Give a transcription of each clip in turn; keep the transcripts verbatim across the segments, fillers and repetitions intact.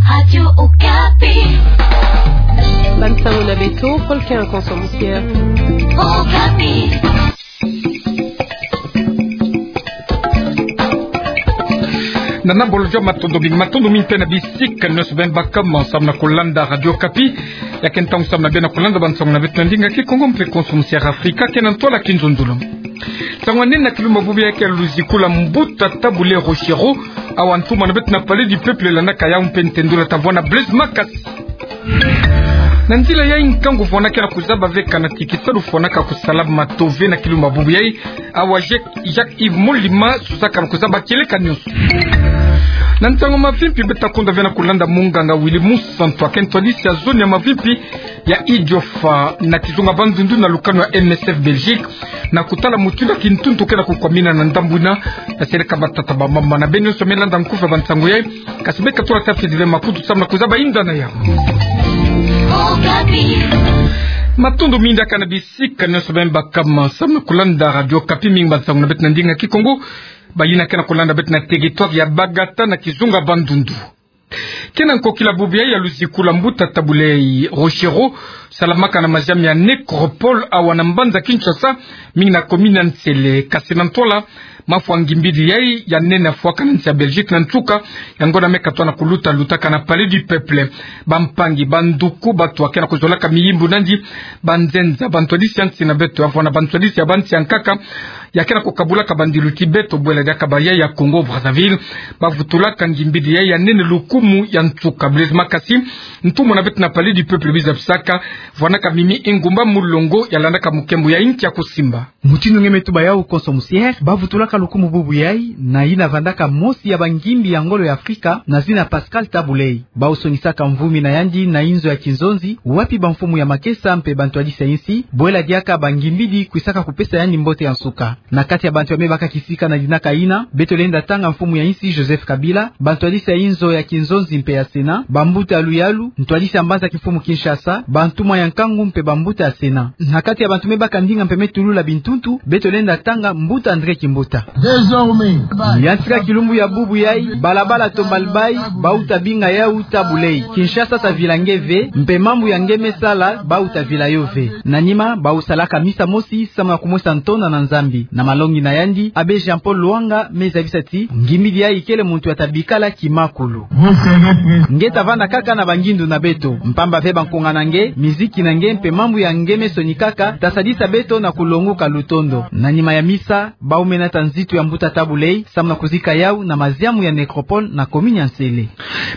Radio Okapi. Bansango na beto, Paul Kien Konso Musier. Okapi. Nana bolo jo matondo mingi, matondo mingi mpe na bisika nyonso beno baka mo samu na kulanda Radio Okapi. Ya ke ntangu samu na beno kulanda bansango na beto na ndinga Kikongo mpe Konso Musier Afrika, ke na ntwala Kinzonzolo. Ntangu nene na kilumbu bubu yayi ke luziku la mbuta Tabu Ley Rochereau, awa ntumwa na beto na Palais du Peuple landaka yau mpe ntendula ta vwanda Blaise Makasi. Na nzila yayi nkangu vwandaka na kuzaba ve kana ti kisalu fwanaka kusala mato ve na kilumbu bubu yayi, awa Jacques, Jacques Yves Molima susaka na kuzaba kieleka nyonso. Na ntangu mavimpi beto ta konda ve na kulanda munganga Willy Musantu, ake ntwadisi ya zone ya mavimpi ya Idiofa na kizunga Bandundu na lukanu ya M S F Belgique, na kutala mutindu ya kintuntu ke na kukwamina na ndambu yina, na seleka matata ba mama. Na beno nyonso me landa nkufi ya bansango yayi, kasi beka tula tafi dive makutu samu na kuzaba inda na yau. Matondo mingi kaka na bisika nyonso beno baka mo samu na kulanda Radio Okapi, mingi bansango na beto na ndinga Kikongo, bayina ke na kulanda beto na territoire ya Bagata na kizunga Bandundu. Ke na nkokila bubu yayi ya luziku la mbuta Tabu Ley Rochereau, salamaka na maziami ya Nécropole awa na mbanza Kinshasa, mingi na commune ya Nsele, kasi na ntwala mafwa ngimbidi yayi ya nene afwaka na nsi ya Belgique na nsuka ya ngonda me katoa na kuluta, lutaka na Palais du Peuple. Bampangi, banduku, bato ya ke na kuzolaka miyimbu nandi, banzenza, bantwadisi ya nsi na beto, ya vwanda bantwadisi ya bansi ya nkaka, ya ke na kukabulaka bandilu ti beto bwela diaka bayayi ya Congo Brazzaville, bavutulaka ngimbidi yayi ya nene lukumu ya nsuka. Blaise Makasi, ntumwa na beto na Palais du Peuple, biza bisaka, vwandaka mimi engumba mulongo ya landaka mukembo ya inki ya kusimba. Mutindu nge me tuba yau Konso Musier, bavutulaka lukumu bubu yayi na yina vandaka mosi ya bangimbi ya ngolo ya Afrika na zina Pascal Tabu Ley. Bau sonisaka mvumi na yandi na inzo ya kinzonzi, wapi bamfumu ya makesa mpe bantwadisi ya insi, bwela diaka bangimbidi kwisaka kupesa yandi mbote ya nsuka. Na kati ya bantu ya me baka kisika na dinaka yina, beto lenda tanga mfumu ya insi Joseph Kabila, bantwadisi ya inzo ya kinzonzi mpe ya Sénat, bambuta ya luyalu, ntwadisi ya mbanza kimfumu Kinshasa, bantumwa ya nkangu mpe bambuta ya Sénat. Na kati ya bantu me baka ndinga mpe me tulula bintuntu, beto lenda tanga mbuta André Kimbuta. Désormais, ya ntika kilumbu ya bubu yayi, balabala Tombalbay, bauta binga yau Tabu Ley. Kinshasa ta vila nge ve, mpe mambu ya nge me sala, bauta vila yo ve. Na nima, bau salaka misa mosi, samu na kumwesa ntonda na Nzambi. Na malongi na yandi, Abbé Jean-Paul Lwanga me zabisa ti ngimbidi yayi kele muntu ya ta bikala kimakulu. Nge ta vanda kaka na bangindu na beto, mpamba ve bankunga na nge, miziki na nge mpe mambu ya nge me sonikaka, ta sadisa beto na kulonguka lutondo. Na nima ya misa, bau mena ta nzitu ya mbuta Tabu Ley, samu na kuzika yau na maziamu ya Nécropole na commune ya Nsele.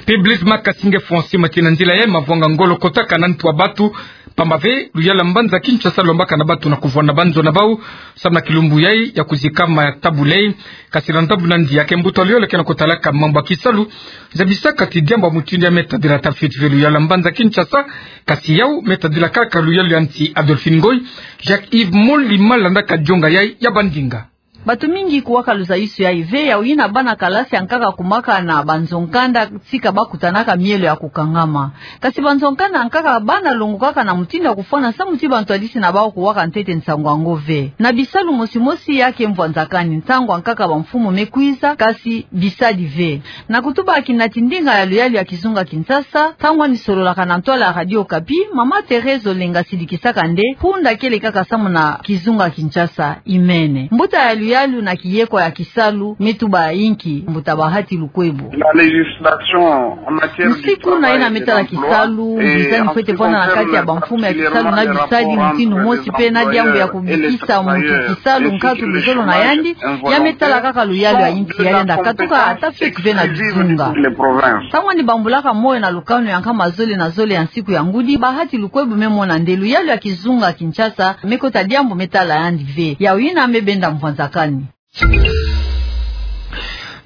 Mpe Blaise Makasi, nge fwa nsi ma ti na nzila yayi mavwanga ngolo kotaka na ntu ya batu, mpamba ve luyalu ya mbanza Kinshasa lombaka na batu na kuvwanda banzo na bau, samu na kilumbu yayi ya kuzikama ya Tabu Ley. Kasi na ndambu nandi, ya ke mbuta luyalu ke na kutalaka mambu ya kisalu, zabisaka ti diambu ya mutindu yayi me tadila tafiti ve luyalu ya mbanza Kinshasa, kasi yau me tadila kaka luyalu ya nsi. Adolphine Ngoy, Jacques Yves Molima landaka dionga yayi ya bandinga. Batu mingi kuwaka luzayusu yayi ve, yau yina bana kalasi ya nkaka kumaka na banzo nkanda, tika bakutanaka mielo ya kukangama. Kasi banzo nkanda ya nkaka bana longokaka na mutindu ya kufwana samu ti bantwadisi na bau kuwaka ntete nsangu yango ve. Na bisalu mosi mosi ya ke mvwanzakani, ntangu ya nkaka bamfumu me kwiza, kasi bisadi ve. Na kutuba kinati ndinga ya luyalu ya kizunga Kinshasa, ntangu yandi sololaka na ntwala ya Radio Okapi, mama Thérèse Olenga sidikisaka nde, hunda kele kaka samu na kizunga Kinshasa, imene. Mbuta ya luyalu na kiyeko ya kisalu, me tuba inki, mbuta Bahati Lukwebo. La législation en matière du travail et de l'emploi, nsiku na yina me tala kisalu, bizani fwete vwanda na kati ya bamfumu ya kisalu na bisadi mutindu mosi mpe na diambu ya kubikisa muntu kisalu nkatu luzolo na yandi, ya me tala kaka luyalu ya insi, ya lenda katuka ata fake ve na bizunga. Ntangu yandi bambulaka moyo na lukanu ya nkama zole na zole ya nsiku ya ngudi, Bahati Lukwebo me mona nde luyalu ya kizunga Kinshasa me kota diambu me tala yandi ve. Yau yina me benda mvwanzakani.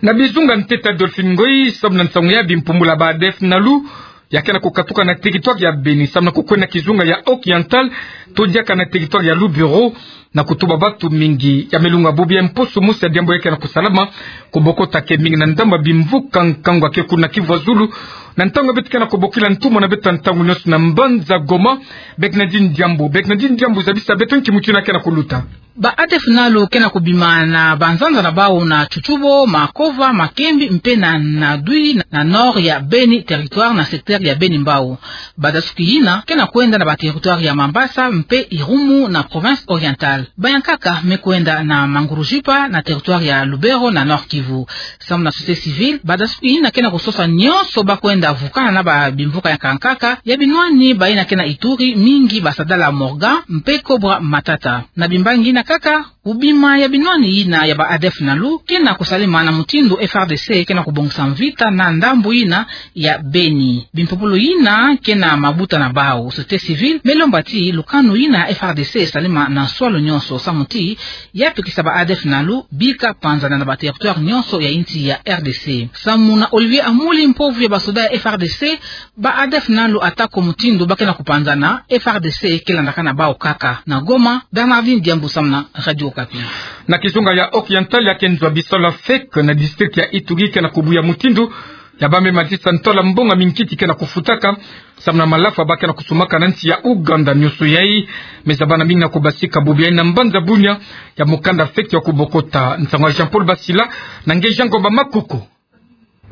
Na bizunga ntete Adolphine Ngoy, samu na nsangu ya bimpumbula ba A D F Nalu, ya ke na kukatuka na territoire ya Beni, samu na kukwenda kizunga ya Oriental, to diaka na territoire ya Lubero, na kutuba batu mingi. Ya me lunga bubu yayi mposo mosi ya diambu ya ke na kusalama, kubokota ke mingi na ndambu ya bimvuka nkangu ya ke kuna Kivu ya Zulu, na ntangu ya beto ke na kubokila ntumwa na beto ntangu nyonso na mbanza Goma. Bernardine Diambu, Bernardine Diambu, zabisa beto nki mutindu ya ke na kuluta. Ba ADF-NALU ke na kubima na banzanza na bau na Tchoutoubou, Makova, Makembi, mpe na Nadoui, na nord ya Beni, territoire na secteur ya Beni-Mbao. Badasuki yina ke na kwenda na ba territoire ya Mambasa mpe Irumu na province orientale. Ba ya nkaka me kwenda na Mangurujipa na territoire ya Lubero na Nord-Kivu. Samu na société civile, badasuki yina ke na kusosa nyonso ba kwenda vukana na ba bimvuka ya nkaka ya binwani bayina ke na Ituri, mingi ba Sadala Morgan mpe Cobra Matata. Na bimbangi yina kaka, kubima ya binwani yina ya ba ADF-NALU ke na kusalema na mutindu FARDC ke na kubongisa mvita na ndambu yina ya Beni. Bimpopolo yina ke na mabuta na bau, société civile me lomba ti lukanu yina FARDC esalema na nswalu nyonso samu ti ya pekisa ba ADF-NALU bika panzana na ba territoire nyonso ya insi ya RDC. Samu na Olivier Amuli, mpovu ya basoda ya FARDC, ba ADF-NALU atako mutindu ba ke na kupanzana, FARDC ke landaka na bau kaka. Na Goma, Bernardine Diambu samu na Radio Okapi. Na kizunga ya Oriental, ya ke nzo ya bisalu ya FEC na district ya Ituri ke na kubuya mutindu ya bambe matisa ntola mbongo ya minkiti ke na kufutaka samu na malafu ba ke na kusumaka na nsi ya Ouganda. Nyonso yai me zabana mingi na kubasika bubu yai na mbanza Bunia ya mukanda FEC ya kubokota. Nsangu ya Jean-Paul Basila na nge Jean Ngomba Makoko.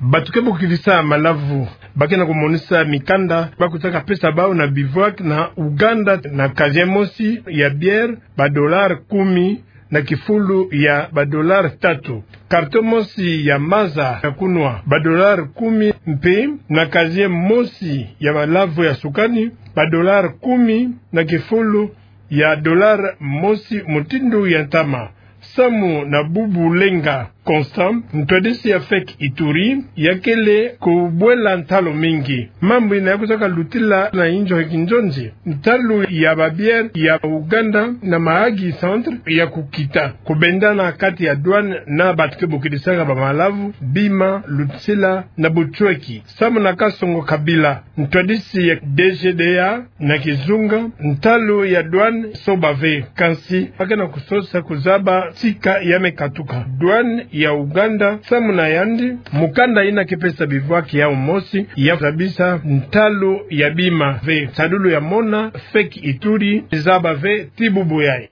Bato ke bokidisa malavu ba ke na kumonisa mikanda ba kutaka pesa bau na bivouac na Ouganda na kazie mosi ya bière ba dollar kumi na kifulu ya ba dollar tatu, karto mosi ya maza ya kunwa ba dollar kumi, mpe na kazie mosi ya malavu ya sukani ba dollar kumi na kifulu ya dollar mosi mutindu ya ntama. Samu na Bubu Lenga Constant, ntwadisi ya FEC Ituri, ya kele kubwela ntalu mingi. Mambu yina ya kutaka lutila na inzo ya kinzonzi. Ntalu ya ba bière ya Ouganda na Mahagi Centre ya kukita, kubendana kati ya douane na bato ke bokidisaka ba malavu, bima, lutsila na butsweki. Samu na Kasongo Kabila, ntwadisi ya DGDA na kizunga, ntalu ya douane soba ve. Kansi ba ke na kusosa kuzaba tika ya me katuka. Douane ya Ouganda, samu na yandi, mukanda yina ke pesa bivouac yau mosi ya zabisa ntalu ya bima ve. Sadulu ya mona, FEC Ituri zaba ve ti bubu yai.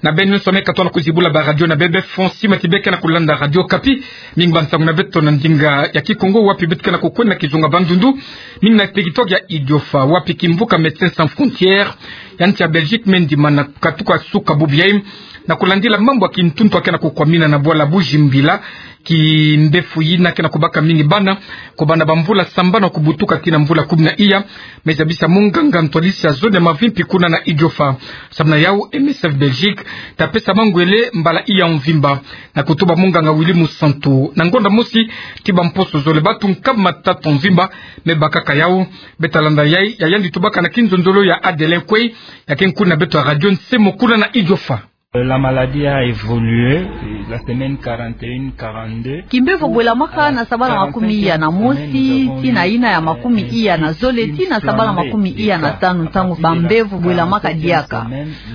Na beno nyonso me katono kuzibula ba radio na bebe, fond sima ti be ke na kulanda Radio Okapi. Mingi ba nsangu na beto na ndinga ya Kikongo, wapi beto ke na kukwenda kizunga Bandundu, mingi na territoire ya Idiofa, wapi kimvuka Médecins Sans Frontières ya nsi ya Belgique me ndimana katuka suka bubu yai na kulandila mambu ya kintuntu ya ke na kukwamina na bwala Bujimbila, kimbevo yina ke na kubaka mingi bana, kubanda ba mvula sambanu kubutuka tii na mvula kumi na iya. Me zabisa munganga ntwadisi ya zone ya mavimpi kuna na Idiofa. Samu na yau, M S F Belgique ta pesa mangwele mbala iya mvimba, na kutuba munganga Willy Musantu na ngonda mosi ti ba mposo zole, bato nkama tatu mvimba me bakaka yau. Beta landa yai, ya yandi tubaka na kinzonzolo ya Adelin Kwei, ya ke nkuni na beto ya radio Nsemo kuna na Idiofa. La maladie a évolué, la semaine quarante et un, quarante-deux. Kimbevo bwelamaka na sabala makumi iya na mosi tii na yina ya makumi iya na zole tii na sabala makumi iya na tanu, ntangu ba mbevo bwelamaka diaka.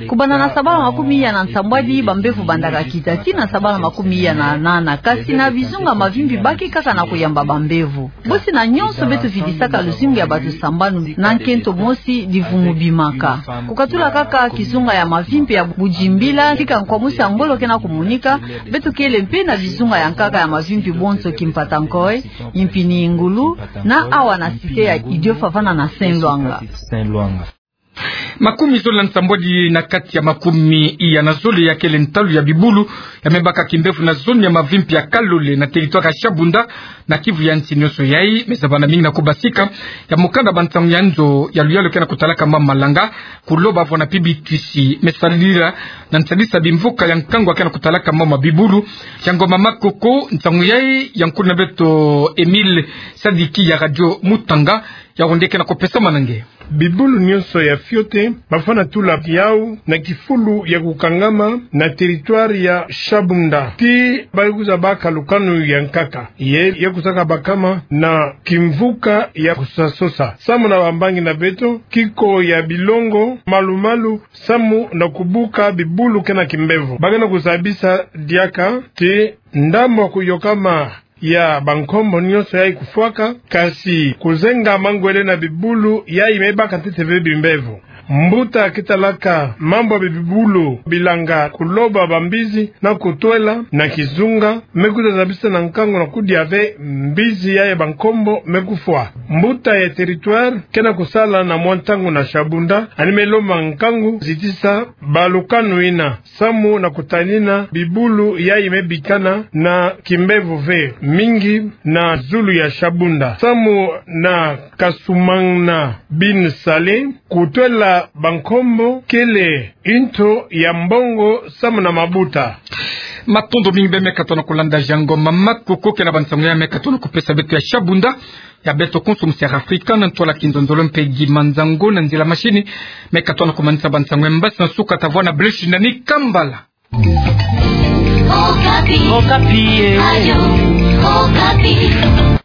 Kubanda na sabala makumi iya na nsambwadi, ba mbevo bandaka kita tii na sabala makumi iya na nana, kasi na bizunga mavimpi ba ke kaka na kuyamba ba mbevo. Bosi na nyonso beto vidisaka luzingu ya bato sambanu na nkento mosi, divumu bimaka. Kukatula kaka kizunga ya mavimpi ya Bujimbila, tika nkwamusi ya ngolo ke na kumonika, beto kele mpe na bizunga ya nkaka ya mavimpi bonso, Kimpatankoi, Impini Ngulu, na awa na cité ya Idiofa vana na Saint-Loanga. Makumi zole na nsambwadi na kati ya makumi iya na zole ya kele ntalu ya bibulu ya me baka kimbevo na zone ya mavimpi ya Kalole na territoire ya Shabunda, na Kivu ya nsi. Nyonso yai me zabana mingi na kubasika ya mukanda ba nsangu ya nzo ya luyalu ke na kutalaka mama Malanga, kuloba vo na pibitwisi me salila na nsadisa bimvuka ya nkangu ke na kutalaka mama bibulu. Jean Ngomba Makoko, nsangu yai ya nkuni na beto Emile Sadiki ya Radio Mutanga, ya onde ke na kupesama na nge. Bibulu nyonso ya fiote, bafwana tula yau na kifulu ya kukangama na territoire ya Shabunda. Tii ba kwiza baka lukanu ya nkaka, ye ya kwisaka bakama na kimvuka ya kusasosa. Samu na bambangi na beto, kiko ya bilongo, malu-malu, samu na kubuka bibulu ke na kimbevo. Ba ke na kuzabisa diaka ti ndambu ya kuyokama ya bankombo nyonso yai kufwaka, kasi kuzenga mangwele na bibulu yai me baka ntete ve bimbevo. Mbuta kitalaka mambu ya bibulu bilanga kuloba bambizi na kutwela na kizunga, me kutazabisa na nkangu na kudia ve mbizi yayi ya bankombo me kufwa. Mbuta ya territoire ke na kusala na mwa ntangu na Shabunda, yandi me lomba nkangu zitisa balukanu yina samu na kutanina bibulu yayi me bikana na kimbevo ve mingi na zulu ya Shabunda. Samu na Kasumana Bin Saleh, kutwela bankombo kele nto ya mbongo samu na mabuta. Matondo mingi beno me katuka na kulanda Jango Mama Koko, ke na bansangu ya me katuka na kupesa beto ya Shabunda. Ya beto konso mu Sierra Africa, na ntwala kinzonzolo mpe gi manzango na nzila machine, me katuka na kumanisa bansangu ya mbasi na suka, tavwa na Blaise Shindani Kambala. Okapi. Okapi, eh. Radio Okapi.